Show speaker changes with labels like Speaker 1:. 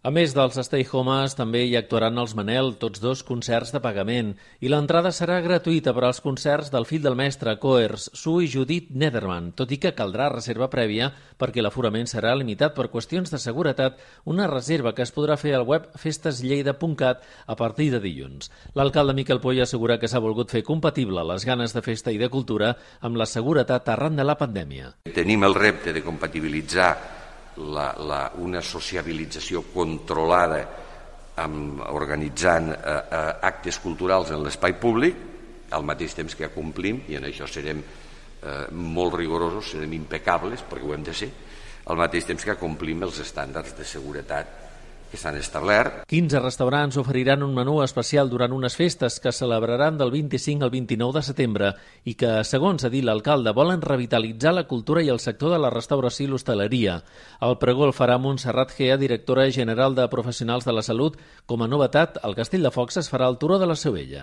Speaker 1: A més dels Stay Homes, també hi actuaran els Manel, tots dos concerts de pagament, i l'entrada serà gratuïta per als concerts del fill del mestre, Coers, Su i Judit Nederman, tot i que caldrà reserva prèvia perquè l'aforament serà limitat per qüestions de seguretat, una reserva que es podrà fer al web festeslleida.cat a partir de dilluns. L'alcalde Miquel Poy assegura que s'ha volgut fer compatible les ganes de festa i de cultura amb la seguretat arran de la pandèmia.
Speaker 2: Tenim el repte de compatibilitzar una sociabilització controlada organitzant actes culturals en l'espai públic, al mateix temps que acomplim, i en això serem molt rigorosos, serem impecables, perquè ho hem de ser, al mateix temps que acomplim els estàndards de seguretat que s'han establert.
Speaker 1: 15 restaurants oferiran un menú especial durant unes festes que celebraran del 25 al 29 de setembre i que, segons ha dit l'alcalde, volen revitalitzar la cultura i el sector de la restauració i l'hostaleria. El pregó el farà Montserrat Gea, directora general de Professionals de la Salut. Com a novetat, al Castell de Focs es farà el Turó de la Seu Vella.